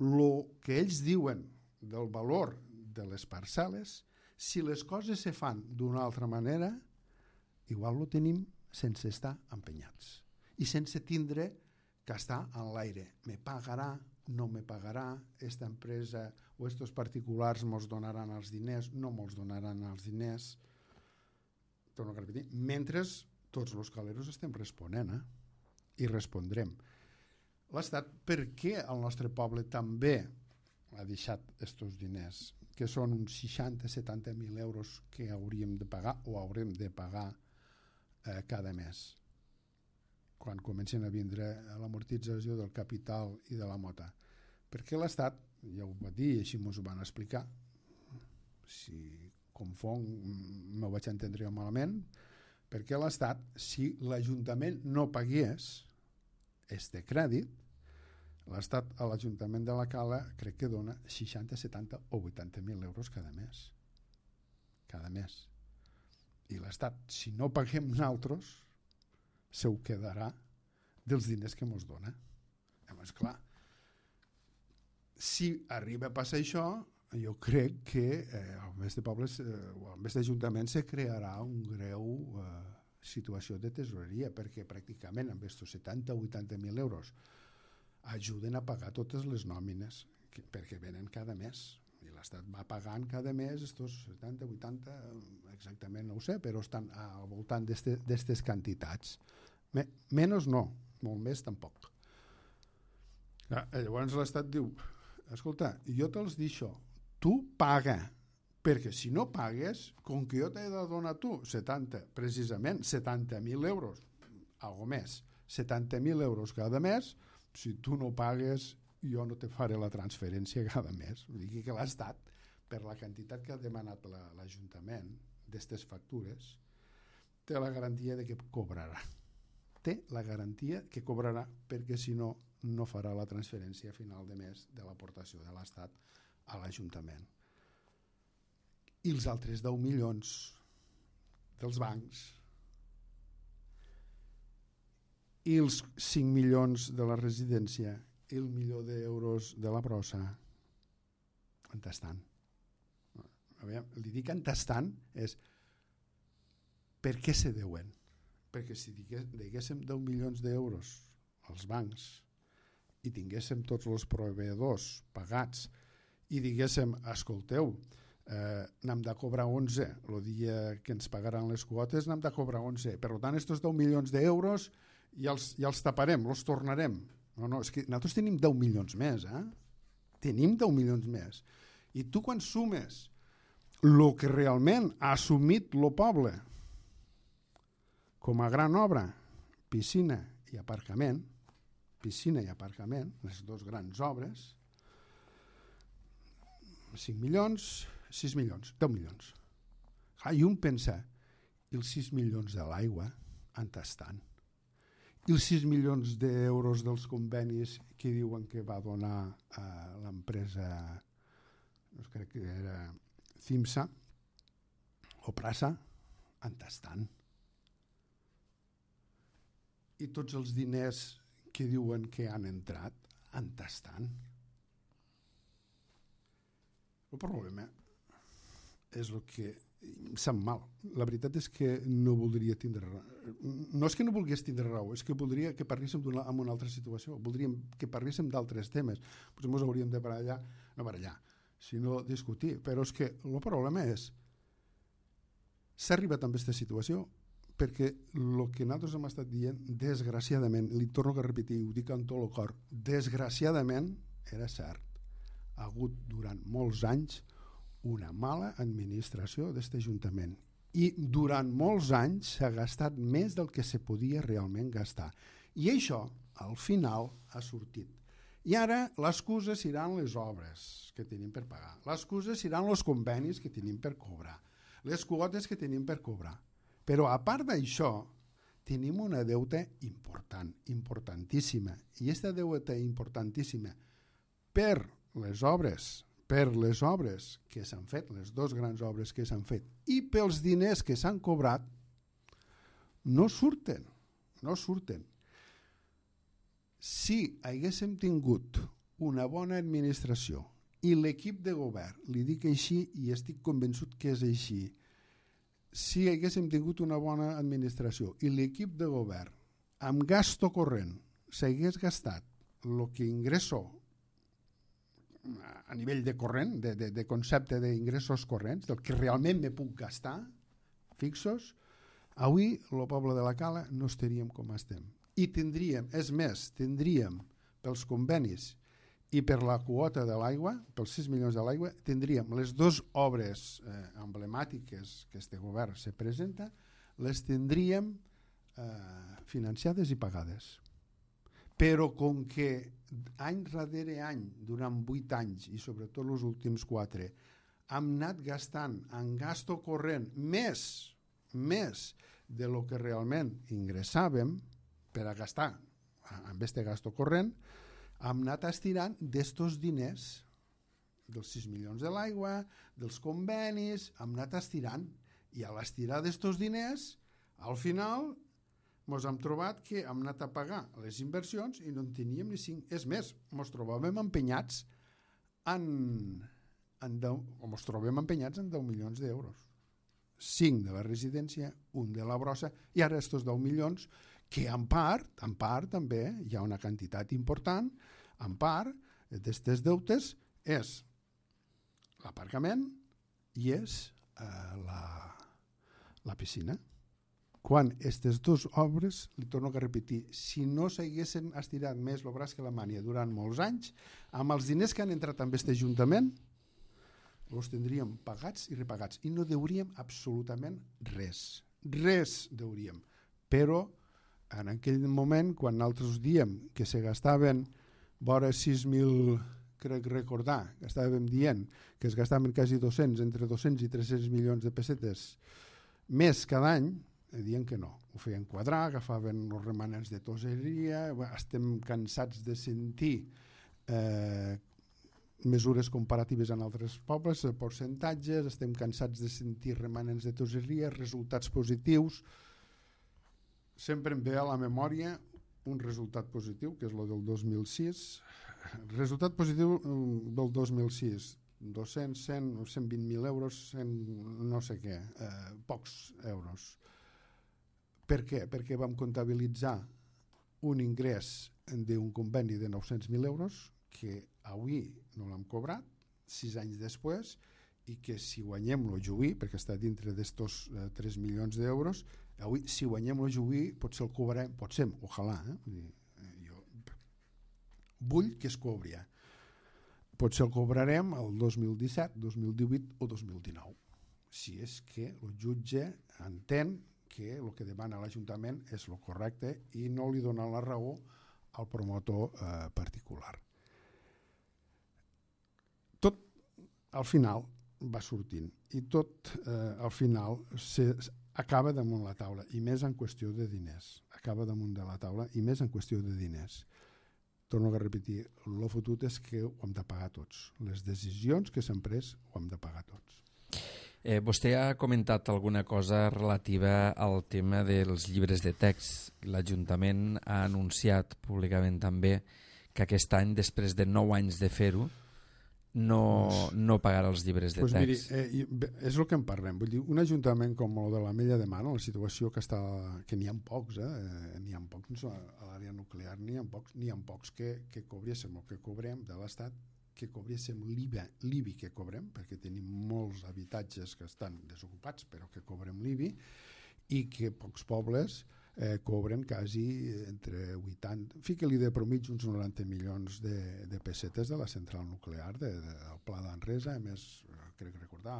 el que ells diuen del valor de les parcel·les, si les coses se fan d'una altra manera, igual ho tenim sense estar empenyats i sense tindre que estar en l'aire. Me pagarà, no me pagarà, esta empresa o estos particulars mos donaran els diners, no mos donaran els diners. Torno a repetir, mentre tots els caleros estem responent, eh? I respondrem. L'Estat, per què el nostre poble també ha deixat estos diners, que són uns seixanta a setanta mil euros que hauríem de pagar o haurem de pagar eh, cada mes, quan comencen a vindre l'amortització del capital i de la mota? Perquè l'Estat, ja ho va dir i així ens ho van explicar, si confon no vaig entendre malament, perquè l'Estat, si l'Ajuntament no pagués este crèdit, l'Estat a l'Ajuntament de la Cala crec que dona seixanta, setanta o vuitanta mil euros cada mes. Cada mes. I l'Estat, si no paguem nosaltres, se ho quedarà dels diners que ens dona. Llavors, clar, si arriba a passar això, jo crec que eh, al mes de pobles eh, o al mes d'Ajuntament se crearà un greu eh, situació de tesoreria, perquè pràcticament amb aquests setanta o vuitanta mil euros ajuden a pagar totes les nòmines que, perquè venen cada mes. I l'Estat va pagant cada mes estos setanta, vuitanta, exactament no ho sé, però estan al voltant d'aquestes quantitats. Me, menys no, molt més tampoc. Llavors l'Estat diu, escolta, jo te'ls deixo, tu paga, perquè si no pagues, com que jo t'he de donar tu setanta, precisament setanta mil euros, algo més, setanta mil euros cada mes, si tu no pagues, jo no te faré la transferència cada mes. Vull dir que l'Estat, per la quantitat que ha demanat la, l'Ajuntament d'aquestes factures, té la garantia de que cobrarà. Té la garantia que cobrarà, perquè si no, no farà la transferència a final de mes de l'aportació de l'Estat a l'Ajuntament. I els altres deu milions dels bancs i els cinc milions de la residència i el milió d'euros de la brossa, on estan? Li dic on estan és per què se deuen? Perquè si diguéssim deu milions d'euros als bancs i tinguéssim tots els proveïdors pagats i diguéssim, escolteu, eh, n'hem de cobrar onze, el dia que ens pagaran les quotes n'hem de cobrar onze, per tant, aquests deu milions d'euros ja els, ja els taparem, els tornarem. No, no, és que nosaltres tenim deu milions més, eh? Tenim deu milions més. I tu quan sumes el que realment ha assumit el poble Com a gran obra, piscina i aparcament, piscina i aparcament, les dues grans obres, cinc milions, sis milions, deu milions. Ah, I un pensa, i els sis milions de l'aigua, on estan? I els sis milions d'euros dels convenis que diuen que va donar a l'empresa, no crec que era CIMSA o Prasa, on estan? I tots els diners que diuen que han entrat, on estan? El problema és el que em sap mal. La veritat és que no voldria tindre raó. No és que no volgués tindre raó, és que voldria que parléssim en una altra situació. Voldríem que parléssim d'altres temes. Potser ens hauríem de barallar, no barallar, sinó discutir. Però és que el problema és s'ha arribat a aquesta situació perquè el que nosaltres hem estat dient, desgraciadament, li torno a repetir, ho dic amb tot el cor, desgraciadament era cert. Ha hagut durant molts anys una mala administració d'aquest Ajuntament i durant molts anys s'ha gastat més del que se podia realment gastar. I això, al final, ha sortit. I ara l'excusa seran les obres que tenim per pagar, l'excusa seran els convenis que tenim per cobrar, les quotes que tenim per cobrar. Però a part d'això, tenim una deuta important, importantíssima. I aquesta deuta importantíssima per les obres, per les obres que s'han fet, les dues grans obres que s'han fet, i pels diners que s'han cobrat, no surten, no surten. Si haguéssim tingut una bona administració i l'equip de govern, li dic així i estic convençut que és així, si haguéssim tingut una bona administració i l'equip de govern amb gasto corrent s'hagués gastat el que ingresso a nivell de corrent, de, de, de concepte d'ingressos corrents, del que realment me puc gastar, fixos, avui el poble de la Cala no estaríem com estem. I tindríem, és més, tindríem pels convenis i per la quota de l'aigua, pels sis milions de l'aigua, tindríem les dues obres eh, emblemàtiques que este govern se presenta, les tindríem eh, financiades i pagades. Però com que any darrere any, durant vuit anys i sobretot els últims quatre, hem anat gastant en gasto corrent més, més de lo que realment ingressàvem per a gastar amb aquest gasto corrent, hem anat estirant d'estos diners, dels sis milions de l'aigua, dels convenis, hem anat estirant. I a l'estirar d'estos diners, al final, ens hem trobat que hem anat a pagar les inversions i no en teníem ni cinc. És més, ens trobàvem empenyats en, en deu, o ens trobem empenyats en deu milions d'euros. cinc de la residència, un de la brossa, i ara estos deu milions que en part, en part també hi ha una quantitat important, en part d'aquestes deutes és l'aparcament i és eh, la, la piscina. Quan aquestes dues obres, li torno a repetir, si no s'haguessin estirat més el braç que la mània durant molts anys, amb els diners que han entrat en aquest Ajuntament, els tindríem pagats i repagats i no deuríem absolutament res. Res deuríem. Però en aquell moment, quan nosaltres diem que se gastaven vora sis mil, crec recordar, que estàvem dient que es gastaven quasi dos-cents, entre dos-cents i tres-cents milions de pessetes més cada any, dient que no. Ho feien quadrar, agafaven els remanents de toseria, estem cansats de sentir eh, mesures comparatives en altres pobles, percentatges, estem cansats de sentir remanents de toseria, resultats positius. Sempre em ve a la memòria un resultat positiu, que és el del dos mil sis. Resultat positiu del dos mil sis, dos-cents, cent, cent vint mil euros, cent, no sé què, eh, pocs euros. Per què? Perquè vam comptabilitzar un ingrés d'un conveni de nou-cents mil euros que avui no l'hem cobrat, sis anys després, i que si guanyem el juí, perquè està dintre d'estos eh, tres milions d'euros, avui si guanyem el juí potser el cobrarem, potser, ojalà, eh? Jo vull que es cobri. Potser el cobrarem el dos mil disset, dos mil divuit o dos mil dinou, si és que el jutge entén que el que demana l'Ajuntament és el correcte i no li dona la raó al promotor eh, particular. Tot al final va sortint i tot eh, al final se, acaba damunt la taula i més en qüestió de diners. Acaba damunt de la taula i més en qüestió de diners. Torno a repetir, el fotut és que ho hem de pagar tots. Les decisions que s'han pres ho hem de pagar tots. Eh, vostè ha comentat alguna cosa relativa al tema dels llibres de text. L'Ajuntament ha anunciat públicament també que aquest any, després de nou anys de fer-ho, no, no pagarà els llibres de pues text. Miri, eh, és el que en parlem. Vull dir, un ajuntament com el de la Mella de Mar, la situació que està, que n'hi ha pocs, eh, n'hi ha pocs a l'àrea nuclear, n'hi ha pocs, n'hi ha pocs que, que cobréssim el que cobrem de l'Estat, que cobréssim l'I B I, l'I B I que cobrem, perquè tenim molts habitatges que estan desocupats, però que cobrem l'I B I, i que pocs pobles eh, cobren quasi entre vuitanta, fica-li de promig uns noranta milions de, de pessetes de la central nuclear de, de, del Pla d'Anresa, a més, crec recordar,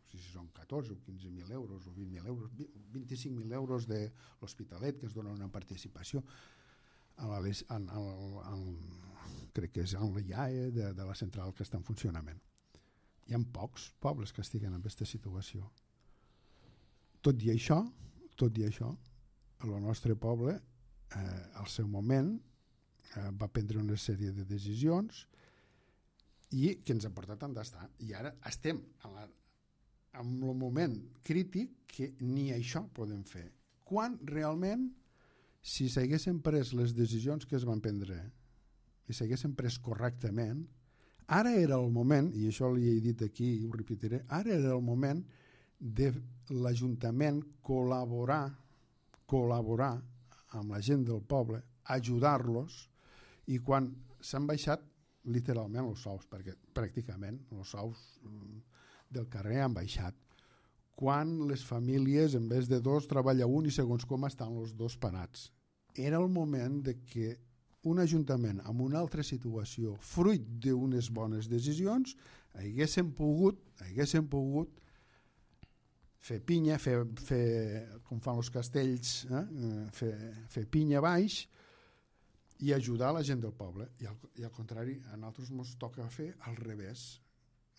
si són catorze o quinze mil euros o vint mil euros, vint-i-cinc mil euros de l'Hospitalet, que es dona una participació en, la, en, en, en, crec que és en l'I A E de, de la central que està en funcionament. Hi ha pocs pobles que estiguen en aquesta situació. Tot i això, tot i això, el nostre poble, eh, al seu moment, eh, va prendre una sèrie de decisions i que ens ha portat on estar. I ara estem en, la, en el moment crític que ni això podem fer. Quan realment, si s'haguessin pres les decisions que es van prendre i s'haguessin pres correctament, ara era el moment, i això li he dit aquí i ho repetiré, ara era el moment de l'Ajuntament col·laborar col·laborar amb la gent del poble, ajudar-los, i quan s'han baixat literalment els sous, perquè pràcticament els sous del carrer han baixat, quan les famílies en vez de dos treballa un i segons com estan els dos parats. Era el moment de que un ajuntament amb una altra situació, fruit d'unes bones decisions, haguessin pogut, haguessin pogut fer pinya, fer, fer com fan els castells, eh? fer, fer pinya baix i ajudar la gent del poble. I al, i al contrari, a nosaltres ens toca fer al revés.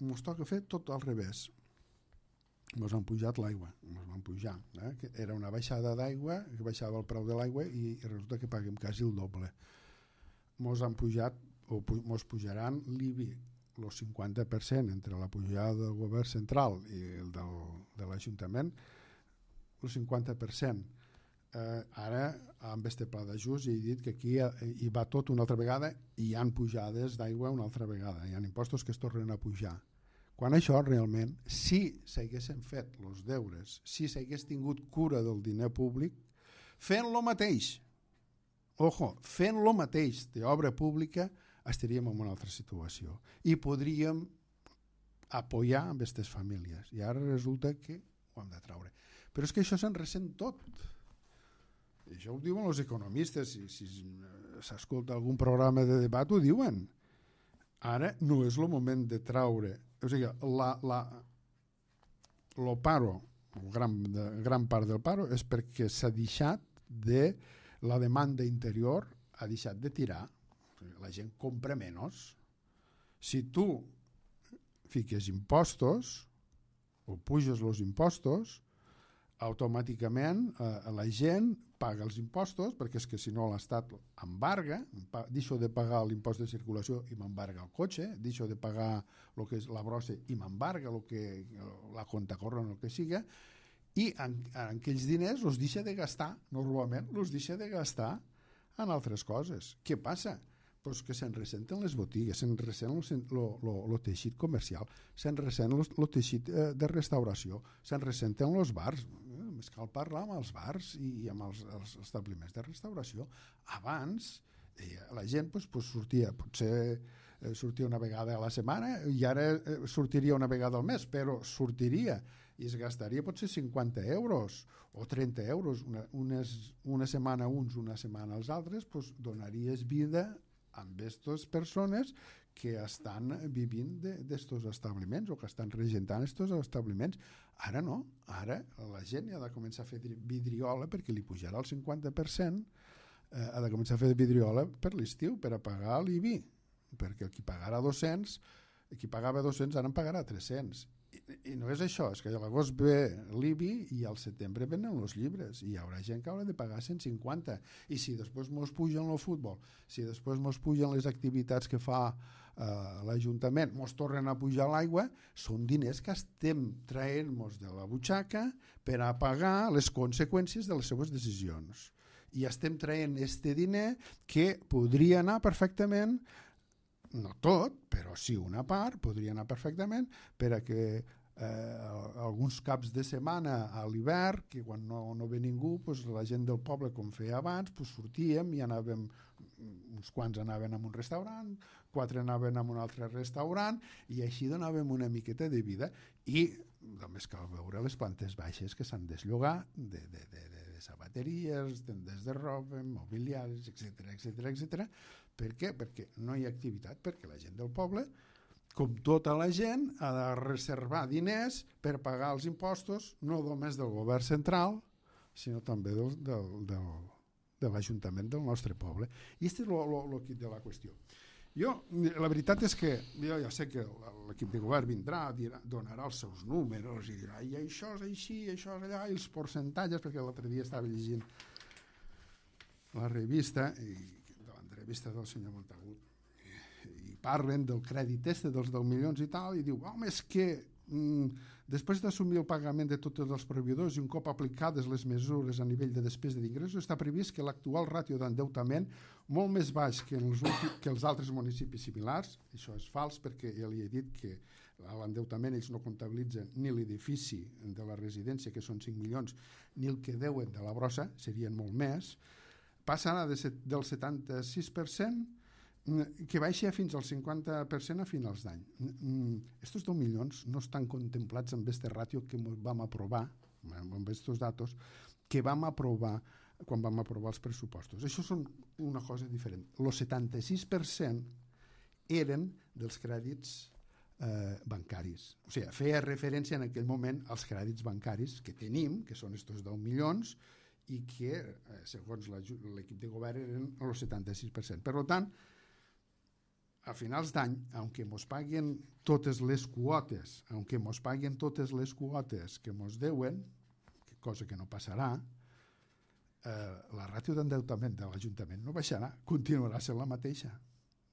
Ens toca fer tot al revés. Ens han pujat l'aigua, ens van pujar. Eh? Que era una baixada d'aigua, que baixava el preu de l'aigua i, i resulta que paguem quasi el doble. Ens han pujat, o ens pujaran l'I B I, el cinquanta per cent entre la pujada del govern central i el del, de l'Ajuntament, el cinquanta per cent. Eh, ara, amb este pla d'ajust, he dit que aquí hi va tot una altra vegada i hi ha pujades d'aigua una altra vegada, hi ha impostos que es tornen a pujar. Quan això realment, si s'haguessin fet els deures, si s'hagués tingut cura del diner públic, fent lo mateix, ojo, fent lo mateix d'obra pública, estaríem en una altra situació i podríem apoyar amb aquestes famílies. I ara resulta que ho hem de traure. Però és que això se'n ressent tot. I això ho diuen els economistes, si, si s'escolta algun programa de debat ho diuen. Ara no és el moment de traure. O sigui, la, la, lo paro, gran, de, gran part del paro, és perquè s'ha deixat de la demanda interior, ha deixat de tirar. La gent compra menys. Si tu fiques impostos o puges els impostos, automàticament eh, la gent paga els impostos, perquè és que si no l'Estat embarga, deixo de pagar l'impost de circulació i m'embarga el cotxe, deixo de pagar lo que és la brossa i m'embarga lo que, la compta corrent, el que siga, i en, en aquells diners els deixa de gastar, normalment els deixa de gastar en altres coses. Què passa? Pues que se'n ressenten les botigues, se'n ressent el teixit comercial, se'n ressent el teixit eh, de restauració, se'n ressenten els bars. Més cal parlar amb els bars i amb els, els establiments de restauració. Abans eh, la gent pues, pues, sortia, potser eh, sortia una vegada a la setmana i ara eh, sortiria una vegada al mes, però sortiria i es gastaria potser cinquanta euros o trenta euros, una, unes, una setmana uns, una setmana els altres, pues, donaries vida amb aquestes persones que estan vivint d'estos establiments o que estan regentant estos establiments. Ara no, ara la gent ha de començar a fer vidriola perquè li pujarà el cinquanta per cent, eh, ha de començar a fer vidriola per l'estiu, per a pagar l'I B I, perquè el qui pagarà dos-cents, el qui pagava dos-cents ara en pagarà tres-cents. I, i no és això, és que a l'agost ve l'I B I i al setembre venen els llibres i hi haurà gent que haurà de pagar cent cinquanta, i si després mos pugen el futbol, si després mos pugen les activitats que fa eh, l'Ajuntament, mos tornen a pujar l'aigua, són diners que estem traient-nos de la butxaca per a pagar les conseqüències de les seves decisions, i estem traient este diner que podria anar perfectament, no tot, però sí una part, podria anar perfectament per a que eh, alguns caps de setmana a l'hivern, que quan no, no ve ningú, pues, la gent del poble, com feia abans, pues, sortíem i anàvem, uns quants anaven a un restaurant, quatre anaven a un altre restaurant, i així donàvem una miqueta de vida, i només cal veure les plantes baixes que s'han desllogat de, de, de, de, de sabateries, tendes de roba, mobiliaris, etcètera, etcètera, etcètera. Per què? Perquè no hi ha activitat, perquè la gent del poble, com tota la gent, ha de reservar diners per pagar els impostos, no només del govern central, sinó també del, del, del, de l'Ajuntament del nostre poble. I aquest és el quid de la qüestió. Jo, la veritat és que jo ja sé que l'equip de govern vindrà, dirà, donarà els seus números i dirà, i això és així, això és allà, i els percentatges, perquè l'altre dia estava llegint la revista i vista del senyor Montagut i parlen del crèdit este dels deu milions i tal, i diu, home, és que mm, després d'assumir el pagament de tots els proveïdors i un cop aplicades les mesures a nivell de despesa d'ingressos, està previst que l'actual ràtio d'endeutament, molt més baix que, en els últims, que els altres municipis similars, això és fals perquè ja li he dit que l'endeutament ells no comptabilitzen ni l'edifici de la residència, que són cinc milions, ni el que deuen de la brossa, serien molt més, passarà de set, del setanta-sis per cent que baixa fins al cinquanta per cent a finals d'any. Estos deu milions no estan contemplats amb este ràtio que vam aprovar, amb estos datos, que vam aprovar quan vam aprovar els pressupostos. Això són una cosa diferent. El setanta-sis per cent eren dels crèdits eh, bancaris. O sigui, feia referència en aquell moment als crèdits bancaris que tenim, que són estos deu milions, i que, eh, segons l'equip de govern, eren el setanta-sis per cent. Per tant, a finals d'any, aunque mos paguen totes les quotes, aunque mos paguen totes les quotes que mos deuen, cosa que no passarà, eh, la ràtio d'endeutament de l'Ajuntament no baixarà, continuarà sent la mateixa.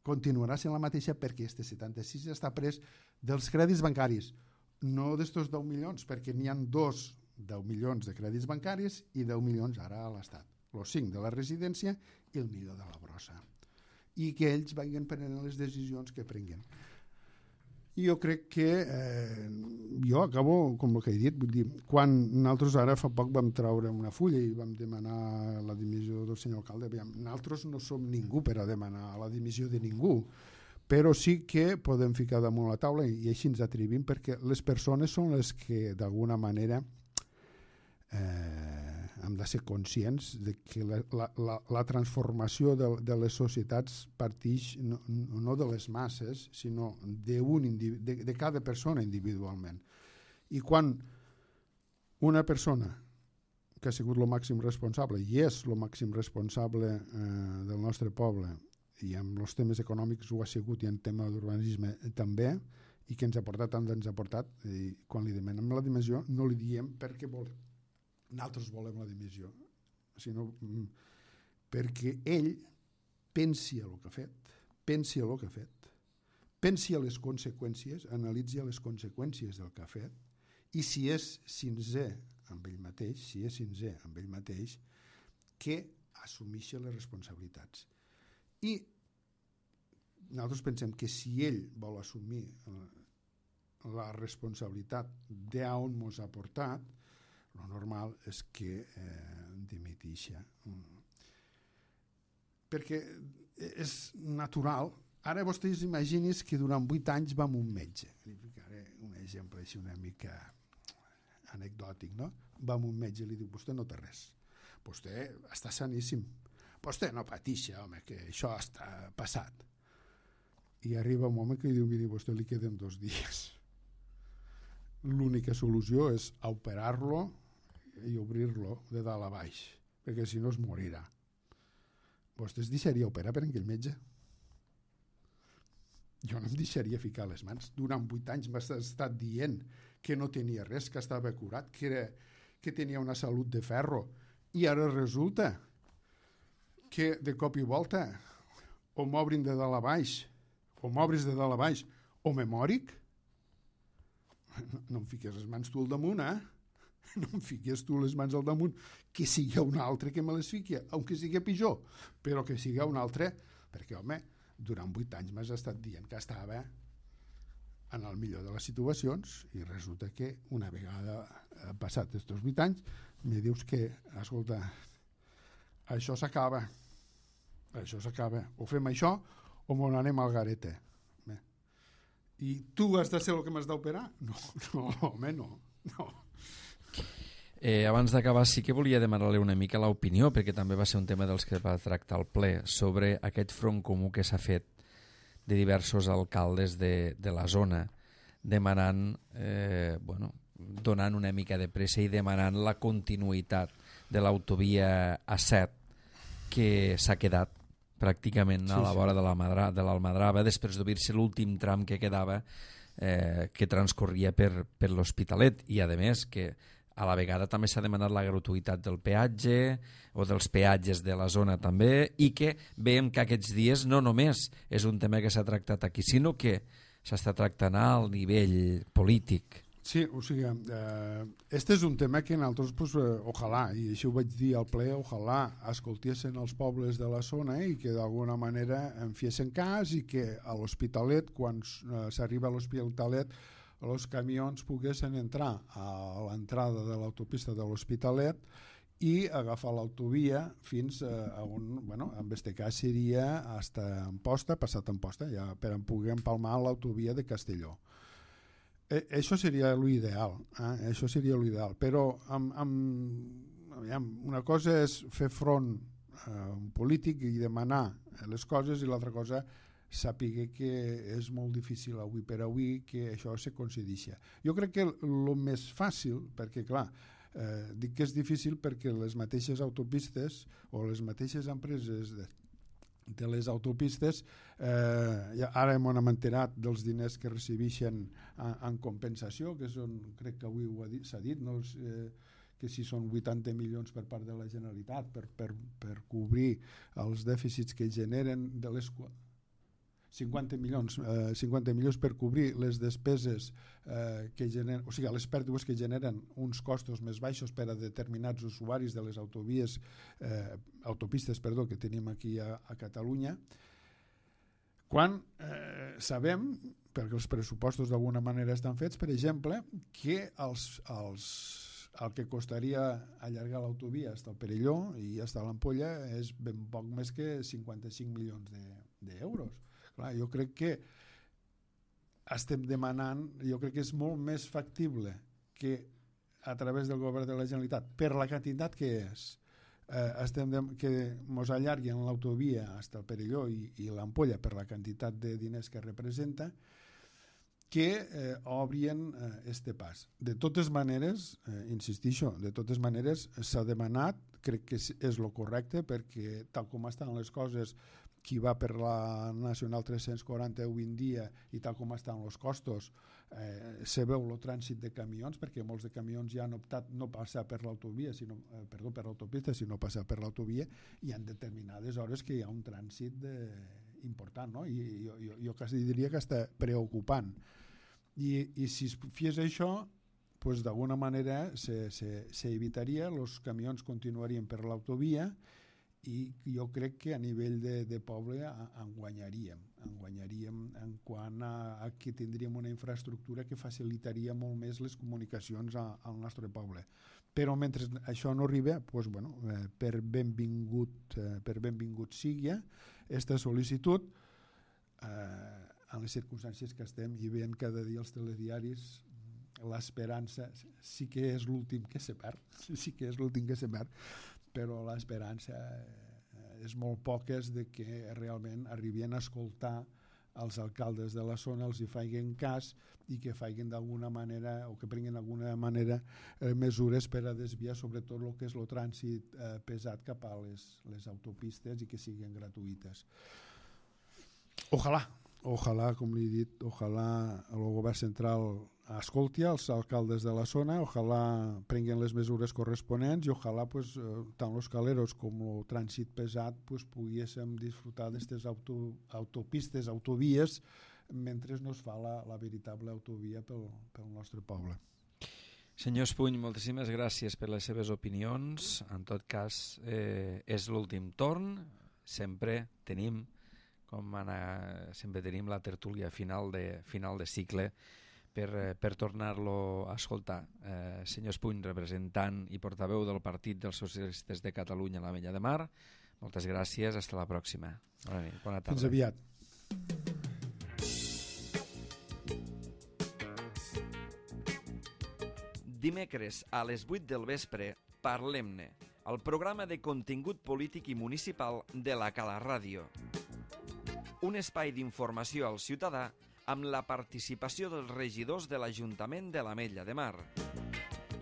Continuarà sent la mateixa perquè este setanta-sis està pres dels crèdits bancaris, no d'estos deu milions, perquè n'hi ha dos deu milions de crèdits bancaris i deu milions ara a l'Estat. Els cinc de la residència i el milió de la brossa. I que ells vagin prenent les decisions que prenguen. I jo crec que eh, jo acabo, com el que he dit, vull dir, quan nosaltres ara fa poc vam treure una fulla i vam demanar la dimissió del senyor alcalde, nosaltres no som ningú per a demanar la dimissió de ningú, però sí que podem ficar damunt la taula i així ens atrevim, perquè les persones són les que d'alguna manera Eh, hem de ser conscients de que la, la, la transformació de, de les societats partix no, no de les masses, sinó de, un, de, de cada persona individualment. I quan una persona que ha sigut el màxim responsable i és el màxim responsable eh, del nostre poble, i amb els temes econòmics ho ha sigut i en tema d'urbanisme també, i que ens ha portat tant ens ha portat, i quan li demanem la dimissió no li diem perquè vol nosaltres volem la dimissió, sinó perquè ell pensi el que ha fet, pensi el que ha fet, pensi a les conseqüències, analitzi les conseqüències del que ha fet, i si és sincer amb ell mateix, si és sincer amb ell mateix, que assumeixi les responsabilitats. I nosaltres pensem que si ell vol assumir la responsabilitat d'on ens ha portat, el normal és que eh, dimiteixa. Perquè és natural. Ara vostès imaginin que durant vuit anys vam a un metge. Li ficaré un exemple així una mica anecdòtic, no? Vam a un metge i li diu, vostè no té res. Vostè està saníssim. Vostè no pateixa, home, que això està passat. I arriba un home que li diu, miri, vostè li queden dos dies. l'única solució és operar-lo i obrir-lo de dalt a baix, perquè si no es morirà. Vostè es deixaria operar per aquell metge? Jo no em deixaria ficar les mans. Durant vuit anys m'ha estat dient que no tenia res, que estava curat, que, era, que tenia una salut de ferro, i ara resulta que de cop i volta o m'obrin de dalt a baix, o m'obris de dalt a baix, o me mòric. No, no em fiques les mans tu al damunt, eh? No em fiques tu les mans al damunt, que sigui un altre que me les fiqui, aunque sigui pitjor, però que sigui un altre, perquè, home, durant vuit anys m'has estat dient que estava en el millor de les situacions i resulta que una vegada passat aquests vuit anys me dius que, escolta, això s'acaba, això s'acaba, o fem això o m'ho anem al garete. Bé. I tu has de ser el que m'has d'operar? No, no, home, no, no. Eh, abans d'acabar sí que volia demanar-li una mica l'opinió, perquè també va ser un tema dels que va tractar el ple, sobre aquest front comú que s'ha fet de diversos alcaldes de, de la zona, demanant, eh, bueno, donant una mica de pressa i demanant la continuïtat de l'autovia A set, que s'ha quedat pràcticament a la vora sí. de l'Almadrava, després d'obrir-se l'últim tram que quedava, eh, que transcorria per, per l'Hospitalet, i a més que a la vegada també s'ha demanat la gratuïtat del peatge o dels peatges de la zona també, i que veiem que aquests dies no només és un tema que s'ha tractat aquí, sinó que s'està tractant al nivell polític. Sí, o sigui, eh, este és un tema que nosaltres, pues, eh, ojalà, i això ho vaig dir al ple, ojalà escoltessin els pobles de la zona i que d'alguna manera en fiessin cas, i que a l'Hospitalet, quan eh, s'arriba a l'Hospitalet, els camions poguessin entrar a l'entrada de l'autopista de l'Hospitalet i agafar l'autovia fins a on, bueno, en este cas seria hasta Amposta, passat Amposta, ja per en poder empalmar l'autovia de Castelló. Eh, això seria l'ideal, eh? Això seria l'ideal, però amb, amb, aviam, una cosa és fer front a un polític i demanar les coses, i l'altra cosa sàpiga que és molt difícil avui per avui que això se concedeixi. Jo crec que el més fàcil, perquè clar, eh, dic que és difícil perquè les mateixes autopistes o les mateixes empreses de, de les autopistes, eh, ja ara hem enterat dels diners que recibeixen en, en compensació, que són, crec que avui s'ha dit, no? eh, que si són vuitanta milions per part de la Generalitat per, per, per cobrir els dèficits que generen de les cinquanta milions, eh, cinquanta milions per cobrir les despeses eh, que generen, o sigui, les pèrdues que generen uns costos més baixos per a determinats usuaris de les autovies, eh, autopistes perdó, que tenim aquí a, a Catalunya, quan eh, sabem, perquè els pressupostos d'alguna manera estan fets, per exemple, que els, els, el que costaria allargar l'autovia fins al Perelló i fins a l'Ampolla és ben poc més que cinquanta-cinc milions d'euros. De, Clar, jo crec que estem demanant, jo crec que és molt més factible que a través del govern de la Generalitat, per la quantitat que és, eh, estem de, que mos allarguen l'autovia fins al Perelló i, i l'Ampolla per la quantitat de diners que representa, que eh, obrien eh, este pas. De totes maneres, eh, insistixo, de totes maneres s'ha demanat, crec que és, és lo correcte, perquè tal com estan les coses, qui va per la Nacional tres-cents quaranta avui en dia i tal com estan els costos, eh, se veu el trànsit de camions, perquè molts de camions ja han optat no passar per l'autovia, sinó, eh, perdó, per l'autopista, sinó passar per l'autovia, i en determinades hores que hi ha un trànsit de, important, no? I jo, jo, jo quasi diria que està preocupant. I, i si es fes això, pues d'alguna manera s'evitaria, els camions continuarien per l'autovia, i jo crec que a nivell de, de poble en guanyaríem, en guanyaríem en quant a, a que tindríem una infraestructura que facilitaria molt més les comunicacions a, al nostre poble. Però mentre això no arriba, pues, bueno, eh, per benvingut, eh, per benvingut sigui aquesta sol·licitud, eh, en les circumstàncies que estem i veient cada dia els telediaris, l'esperança sí que és l'últim que se perd, sí que és l'últim que se perd, però l'esperança és molt poques de que realment arribin a escoltar als alcaldes de la zona els hi facin cas i que facin d'alguna manera o que prenguin d'alguna manera eh, mesures per a desviar sobretot el que és el trànsit eh, pesat cap a les, les autopistes i que siguin gratuïtes. Ojalà, ojalà, com li he dit, ojalà el govern central escolti els alcaldes de la zona, ojalà prenguin les mesures corresponents i ojalà pues, tant els caleros com el trànsit pesat pues, poguéssim disfrutar d'aquestes auto, autopistes, autovies, mentre no es fa la, la veritable autovia pel, pel nostre poble. Senyor Espuny, moltíssimes gràcies per les seves opinions. En tot cas, eh, és l'últim torn. Sempre tenim, com anar, sempre tenim la tertúlia final de, final de cicle per, per tornar-lo a escoltar. Eh, senyor Espuny, representant i portaveu del Partit dels Socialistes de Catalunya a l'Ametlla de Mar, moltes gràcies, hasta la pròxima. Bona nit, bona tarda. Fins aviat. Dimecres a les vuit del vespre, Parlem-ne, el programa de contingut polític i municipal de la Cala Ràdio. Un espai d'informació al ciutadà amb la participació dels regidors de l'Ajuntament de l'Ametlla de Mar.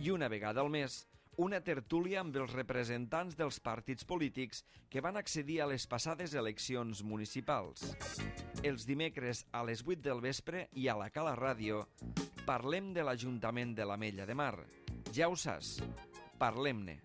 I una vegada al mes, una tertúlia amb els representants dels partits polítics que van accedir a les passades eleccions municipals. Els dimecres a les vuit del vespre i a la Cala Ràdio parlem de l'Ajuntament de l'Ametlla de Mar. Ja ho saps, parlem-ne.